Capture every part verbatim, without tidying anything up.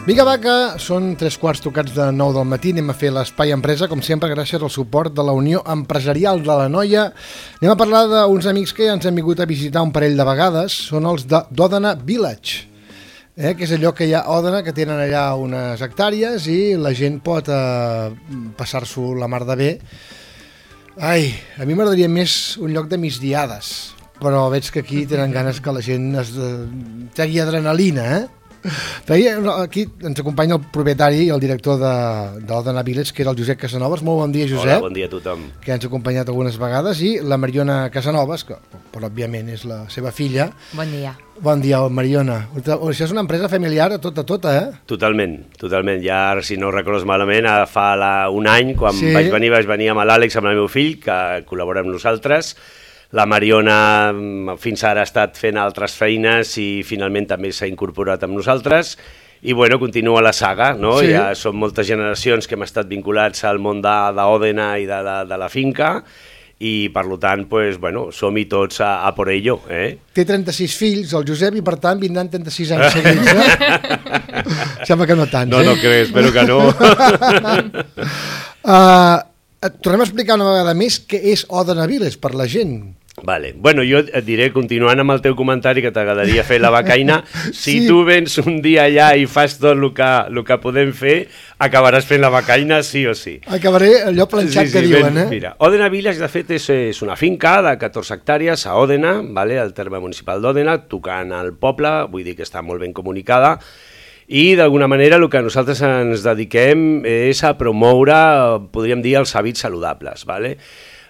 Vinga, va, que són tres quarts tocats de nou del matí. Anem a fer l'Espai Empresa, com sempre, gràcies al suport de la Unió Empresarial de l'Anoia. Anem a parlar d'uns amics que ja ens han vingut a visitar un parell de vegades. Són els de d'Òdena Village, eh, que és allò que hi ha a Òdena, que tenen allà unes hectàrees i la gent pot eh, passar-s'ho la mar de bé. Ai, a mi m'agradaria més un lloc de migdiades, però veig que aquí tenen ganes que la gent es eh, tregui adrenalina, eh? Aquí ens acompanya el propietari i el director d'Òdena Village, que era el Josep Casanovas. Molt bon dia, Josep. Hola, bon dia a tothom. Que ens ha acompanyat algunes vegades, i la Mariona Casanovas, que però, òbviament és la seva filla. Bon dia. Bon dia, Mariona. Això és una empresa familiar a tota, tota, eh? Totalment, totalment. Ja, si no ho recordes malament, fa la, un any, quan sí. vaig venir, vaig venir amb l'Àlex, amb el meu fill, que col·labora amb nosaltres. La Mariona fins ara ha estat fent altres feines i finalment també s'ha incorporat amb nosaltres. I bueno, continua la saga, no? Sí. Ja són moltes generacions que hem estat vinculats al món d'Òdena i de la, de la finca, i per tant, pues, bueno, som-hi tots a, a por ello. Eh? Té trenta-sis fills, el Josep, i per tant vindran trenta-sis anys seguits. Eh? Sembla que no tants, no, eh? No, no crec, espero que no. uh, tornem a explicar una vegada més què és Òdena Village per la gent. Vale. Bueno, jo et diré, continuant amb el teu comentari, que t'agradaria fer la becaina, si sí. tu vens un dia allà i fas tot el que, el que podem fer, acabaràs fent la becaina sí o sí. Acabaré allò planxat sí, sí, que diuen, ben, eh? Mira, Òdena Village, de fet, és, és una finca de catorze hectàrees a Òdena, vale, al terme municipal d'Òdena, tocant al poble, vull dir que està molt ben comunicada, i d'alguna manera el que nosaltres ens dediquem és a promoure, podríem dir, els hàbits saludables, vale?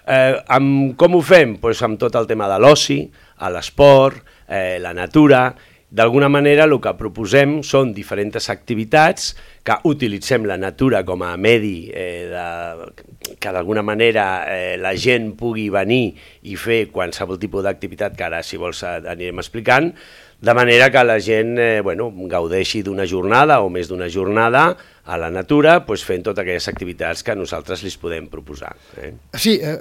Eh, amb, com ho fem? Pues amb tot el tema de l'oci, l'esport, eh, la natura. D'alguna manera el que proposem són diferents activitats que utilitzem la natura com a medi, eh, de, que d'alguna manera eh, la gent pugui venir i fer qualsevol tipus d'activitat que ara, si vols, anirem explicant, de manera que la gent eh, bueno, gaudeixi d'una jornada o més d'una jornada a la natura, pues, fent totes aquelles activitats que nosaltres li podem proposar. Eh? Sí, eh,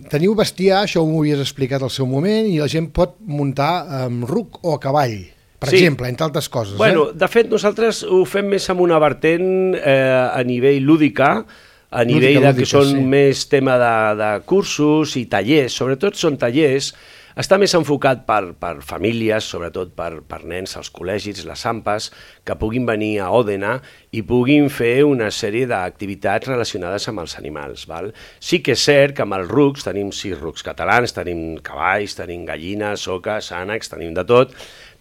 teniu bestiar, això ho havies explicat al seu moment, i la gent pot muntar amb ruc o a cavall, per sí. exemple, entre altres coses. Bueno, eh? De fet, nosaltres ho fem més amb una vertent eh, a nivell lúdica, a nivell lúdica, de que lúdica, són sí. més tema de, de cursos i tallers, sobretot són tallers. Està més enfocat per, per famílies, sobretot per, per nens als col·legis, les AMPAs, que puguin venir a Òdena i puguin fer una sèrie d'activitats relacionades amb els animals. Val? Sí que és cert que amb els rucs, tenim sis rucs catalans, tenim cavalls, tenim gallines, oques, ànecs, tenim de tot,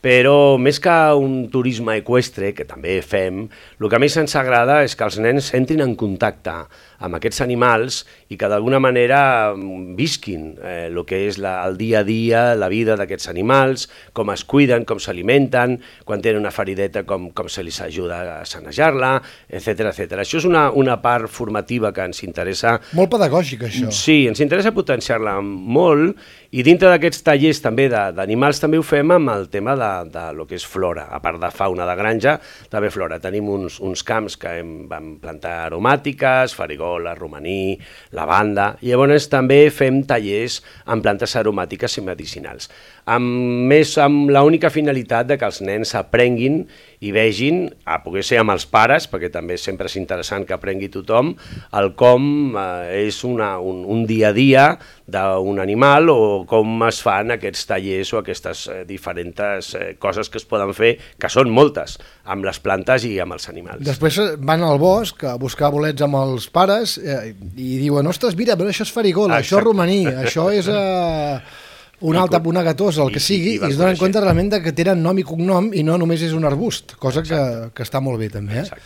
però més que un turisme eqüestre, que també fem, el que més ens agrada és que els nens entrin en contacte amb aquests animals i que d'alguna manera visquin eh, el que és la, el dia a dia, la vida d'aquests animals, com es cuiden, com s'alimenten, quan tenen una ferideta, com, com se li ajuda a sanejar-la, etcètera, etcètera. Això és una, una part formativa que ens interessa... Molt pedagògica, això. Sí, ens interessa potenciar-la molt, i dintre d'aquests tallers també d'animals també ho fem amb el tema de, de lo que és flora. A part de fauna de granja, també flora. Tenim uns, uns camps que hem, vam plantar aromàtiques, farigola, romaní, lavanda, i llavors també fem tallers amb plantes aromàtiques i medicinals. Amb, més amb l'única finalitat de que els nens aprenguin i vegin, a poder ser amb els pares, perquè també sempre és interessant que aprengui tothom, el com eh, és una, un, un dia a dia d'un animal, o com es fan aquests tallers o aquestes eh, diferents eh, coses que es poden fer, que són moltes, amb les plantes i amb els animals. Després van al bosc a buscar bolets amb els pares eh, i diuen, ostres, mira, però això és farigola, això és romaní, això és... Eh... un altre puna gatosa, el que sigui, i, i, i es donen compte realment que tenen nom i cognom i no només és un arbust, cosa que, que està molt bé també. Eh?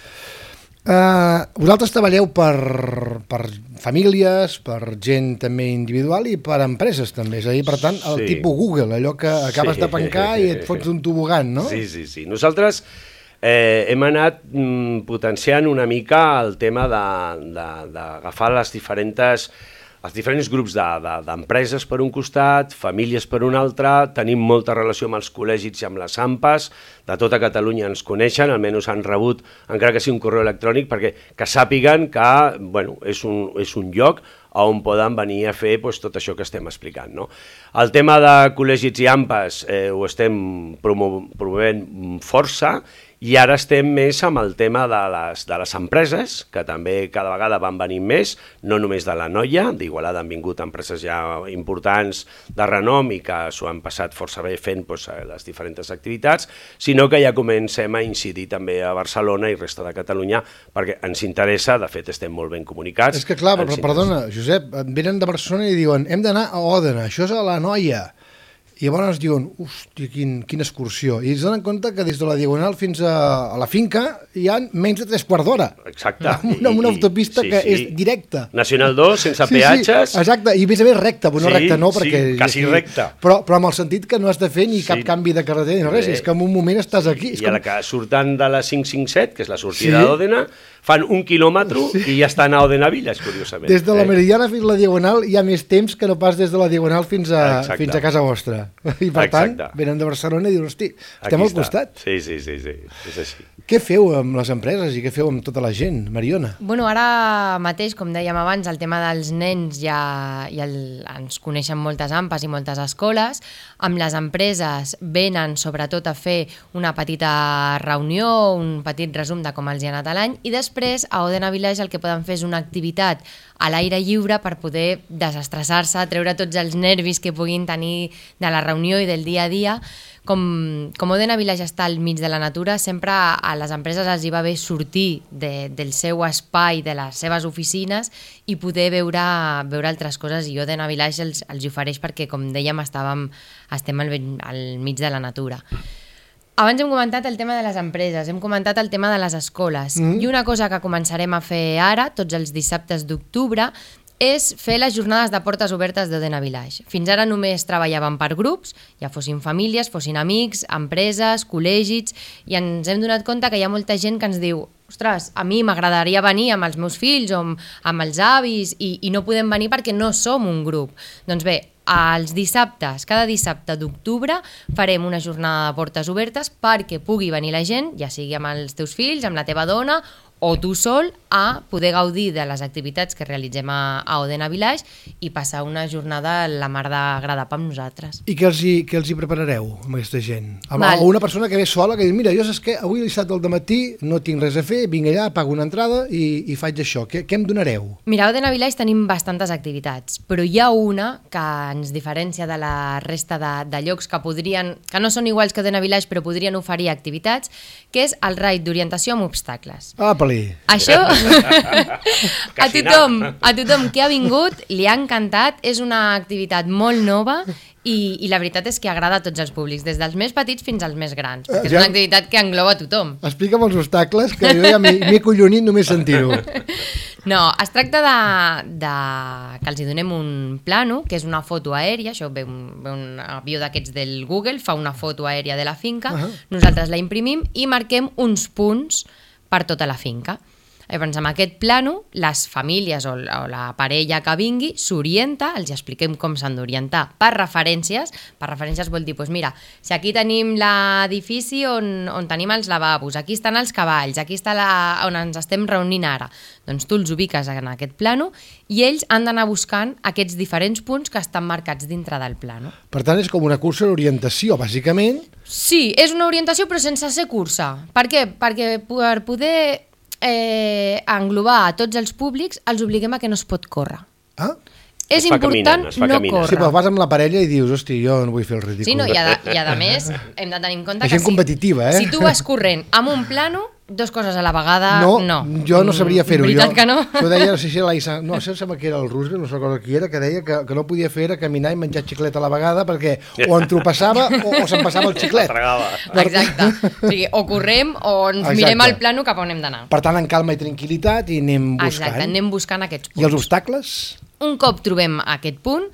Uh, vosaltres treballeu per, per famílies, per gent també individual i per empreses també, és a dir, per tant, el sí. tipus Google, allò que acabes sí. de pencar i et fots un tobogan, no? Sí, sí, sí. Nosaltres eh, hem anat mm, potenciant una mica el tema d'agafar les diferents... els diferents grups d'empreses de, de, per un costat, famílies per un altre, tenim molta relació amb els col·legis i amb les AMPAs, de tota Catalunya ens coneixen, almenys han rebut, encara que sigui un correu electrònic, perquè que sàpiguen que bueno, és, un, és un lloc on poden venir a fer pues, tot això que estem explicant. No? El tema de col·legis i AMPAs eh, ho estem promo promovent força, I ara estem més amb el tema de les, de les empreses, que també cada vegada van venir més, no només de la Noia, d'Igualada han vingut empreses ja importants de renom i que s'ho han passat força bé fent doncs, les diferents activitats, sinó que ja comencem a incidir també a Barcelona i resta de Catalunya, perquè ens interessa, de fet estem molt ben comunicats. És que clar, però, perdona, Josep, venen de Barcelona i diuen hem d'anar a Òdena, això és a la Noia. I llavors diuen, hòstia, quin, quina excursió. I es donen compte que des de la Diagonal fins a, a la finca hi ha menys de tres quarts d'hora. Exacte. Amb una, una autopista sí, que sí. és directa. Nacional dos, sense sí, peatges. Sí, exacte, i a més a més recta, però no sí, recta no, perquè... Sí, quasi recta. Però, però amb el sentit que no has de fer ni sí. cap canvi de carretera ni res, és que en un moment estàs aquí. I com... a la que surten de la cinc cinc set, que és la sortida sí. d'Òdena, fan un quilòmetre sí. i ja estan a Òdena Villas, curiosament. Des de la Meridiana fins a la Diagonal hi ha més temps que no pas des de la Diagonal fins a, fins a casa vostra. I per tant, Exacte. venen de Barcelona i diuen, hosti, estem Aquí al costat. Sí, sí, sí, sí, és així. Què feu amb les empreses i què feu amb tota la gent, Mariona? Bueno, ara mateix, com dèiem abans, el tema dels nens ja, ja el, ens coneixen moltes ampes i moltes escoles. Amb les empreses venen sobretot a fer una petita reunió, un petit resum de com els hi ha anat l'any i després a Òdena Village el que poden fer és una activitat a l'aire lliure per poder desestressar-se, treure tots els nervis que puguin tenir de la reunió i del dia a dia. Com, com Òdena Village està al mig de la natura, sempre a les empreses els hi va bé sortir de, del seu espai, de les seves oficines i poder veure, veure altres coses, i Òdena Village els, els hi ofereix perquè, com dèiem, estàvem, estem al, al mig de la natura. Abans hem comentat el tema de les empreses, hem comentat el tema de les escoles, mm. i una cosa que començarem a fer ara, tots els dissabtes d'octubre, és fer les jornades de portes obertes d'Òdena Village. Fins ara només treballàvem per grups, ja fossin famílies, fossin amics, empreses, col·legis, i ens hem donat compte que hi ha molta gent que ens diu ostres, a mi m'agradaria venir amb els meus fills o amb, amb els avis i, i no podem venir perquè no som un grup. Doncs bé, els dissabtes, cada dissabte d'octubre farem una jornada de portes obertes perquè pugui venir la gent, ja sigui amb els teus fills, amb la teva dona o tu sol, a poder gaudir de les activitats que realitzem a, a Òdena Village i passar una jornada la mar d'agradable amb nosaltres. I què els hi, què els hi preparareu amb aquesta gent? Amb, o una persona que ve sola que diu, mira, jo saps què, avui dissabte al dematí no tinc res a fer, vinc allà, pago una entrada i, i faig això. Què, què em donareu? Mira, a Òdena Village tenim bastantes activitats, però hi ha una que ens diferencia de la resta de, de llocs que podrien, que no són iguals que Òdena Village, però podrien oferir activitats, que és el raid d'orientació amb obstacles. Ah, pel·li. Això a tothom, a tothom que ha vingut li ha encantat, és una activitat molt nova i, i la veritat és que agrada a tots els públics, des dels més petits fins als més grans, perquè és una activitat que engloba a tothom. Explica'm els obstacles, que jo ja m'he collonit només sentir-ho. No, es tracta de, de que els hi donem un plano, que és una foto aèria, això ve un, ve un avió d'aquests del Google, fa una foto aèria de la finca, uh-huh. Nosaltres la imprimim i marquem uns punts per tota la finca. Llavors, amb aquest plano, les famílies o la parella que vingui s'orienta, els expliquem com s'han d'orientar per referències. Per referències vol dir, doncs mira, si aquí tenim l'edifici on, on tenim els lavabos, aquí estan els cavalls, aquí està la, on ens estem reunint ara, doncs tu els ubiques en aquest plano i ells han d'anar buscant aquests diferents punts que estan marcats dintre del plano. Per tant, és com una cursa d'orientació, bàsicament. Sí, és una orientació però sense ser cursa. Per què? Perquè per poder eh, englobar a tots els públics els obliguem a que no es pot córrer. Ah? És es important caminant, no córrer. Sí, però vas amb la parella i dius, hosti, jo no vull fer el ridícul. Sí, no, i a, i a més hem de tenir en compte la que gent competitiva, si, eh? si tu vas corrent amb un plano, dos coses a la vegada, no. No, jo no sabria fer-ho. Veritat jo, que no? Jo deia, no sé si l'Aissa, no sé sembla que era el Roosevelt, no sé qui era, que deia que, que no podia fer era caminar i menjar xiclet a la vegada perquè o entropassava o, o se'n passava el xiclet. Exacte. O sigui, o correm o ens Exacte. mirem el plano cap on hem d'anar. Per tant, en calma i tranquil·litat i anem buscant. Exacte, anem buscant aquests punts. I els obstacles? Un cop trobem aquest punt,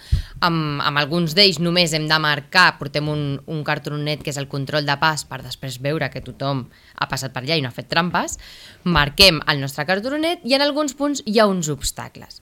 amb, amb alguns d'ells només hem de marcar, portem un, un cartronet que és el control de pas per després veure que tothom ha passat per allà i no ha fet trampes, marquem el nostre cartronet i en alguns punts hi ha uns obstacles.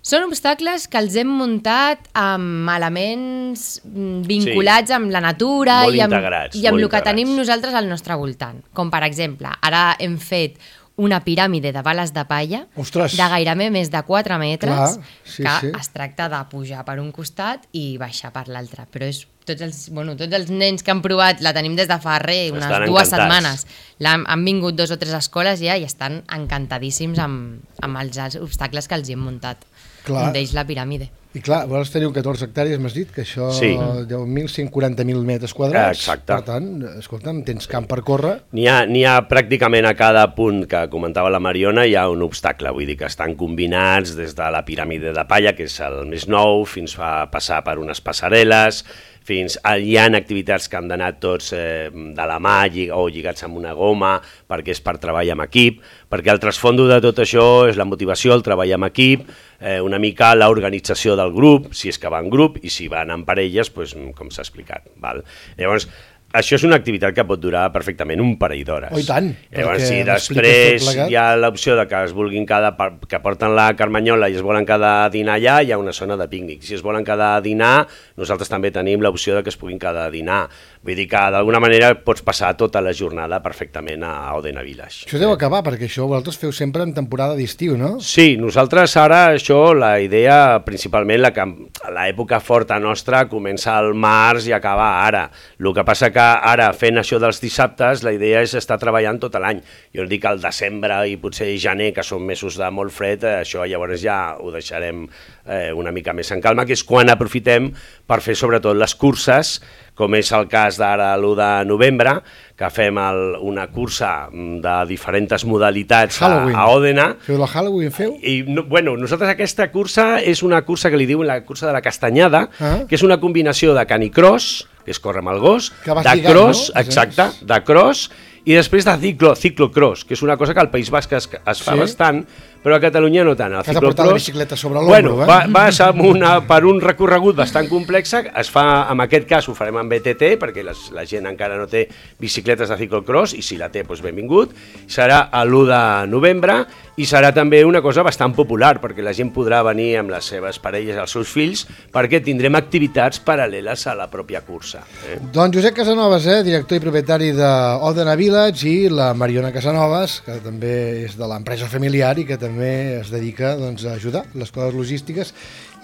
Són obstacles que els hem muntat amb elements vinculats sí. amb la natura molt i amb, integrats, i amb el integrats. que tenim nosaltres al nostre voltant. Com per exemple, ara hem fet una piràmide de bales de palla Ostres. de gairebé més de quatre metres, Clar, sí, que sí. es tracta de pujar per un costat i baixar per l'altre. Però és tots els, bueno, tots els nens que han provat, la tenim des de fa res, unes Estan dues encantats. setmanes. Han, han vingut dos o tres escoles ja i estan encantadíssims amb, amb els, els obstacles que els hi hem muntat. Clar. Un d'ells la piràmide. I clar, vols tenir catorze hectàrees, m'has dit, que això Sí. deu mil cent quaranta mil metres quadrats. Exacte. Per tant, escolta'm, tens camp per córrer. N'hi ha, n'hi ha pràcticament a cada punt que comentava la Mariona, hi ha un obstacle, vull dir que estan combinats des de la piràmide de palla, que és el més nou, fins a passar per unes passarel·les, fins a, hi ha activitats que han d'anar tots eh, de la mà llig o lligats amb una goma, perquè és per treball amb equip, perquè el trasfondo de tot això és la motivació, el treball amb equip, eh, una mica l'organització del grup, si és que va en grup, i si van en parelles, doncs, com s'ha explicat. Val? Llavors, això és una activitat que pot durar perfectament un parell d'hores. Oh, i tant, Llavors, perquè si m'expliques després tot plegat. hi ha l'opció de que es vulguin quedar, que porten la carmanyola i es volen quedar a dinar allà, hi ha una zona de pícnic. Si es volen quedar a dinar, nosaltres també tenim l'opció de que es puguin quedar a dinar. Vull dir que d'alguna manera pots passar tota la jornada perfectament a Òdena Village. Això deu acabar, perquè això vosaltres feu sempre en temporada d'estiu, no? Sí, nosaltres ara això, la idea principalment, la que l'època forta nostra comença al març i acaba ara. El que passa que ara fent això dels dissabtes la idea és estar treballant tot l'any. Jo no dic al desembre i potser gener, que són mesos de molt fred, això llavors ja ho deixarem eh, una mica més en calma, que és quan aprofitem per fer sobretot les curses, com és el cas d'ara l'u de novembre, que fem el, una cursa de diferents modalitats a, a Òdena. Feu la Halloween, feu? I, no, bueno, nosaltres aquesta cursa és una cursa que li diuen la cursa de la castanyada, ah. que és una combinació de canicross, que és córrer amb el gos, de lligant, cross, no? exacte, de cross, i després de ciclo, ciclocross, que és una cosa que al País Basc es, es fa sí? bastant, però a Catalunya no tant. El Has de portar la bicicleta sobre l'ombro, bueno, eh? Va, vas amb una, per un recorregut bastant complex, es fa, en aquest cas ho farem amb B T T, perquè les, la gent encara no té bicicletes de ciclocross, i si la té, doncs benvingut. Serà l'u de novembre, i serà també una cosa bastant popular, perquè la gent podrà venir amb les seves parelles, els seus fills, perquè tindrem activitats paral·leles a la pròpia cursa. Eh? Doncs Josep Casanovas, eh, director i propietari d'Òdena Village, i la Mariona Casanovas, que també és de l'empresa familiar i que també es dedica doncs, a ajudar les coses logístiques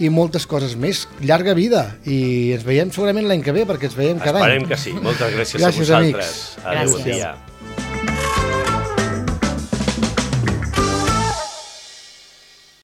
i moltes coses més. Llarga vida, i ens veiem segurament l'any que ve, perquè ens veiem cada any. Esperem que sí. Moltes gràcies, gràcies a vosaltres. Amics. Adéu, Gràcies. bon dia.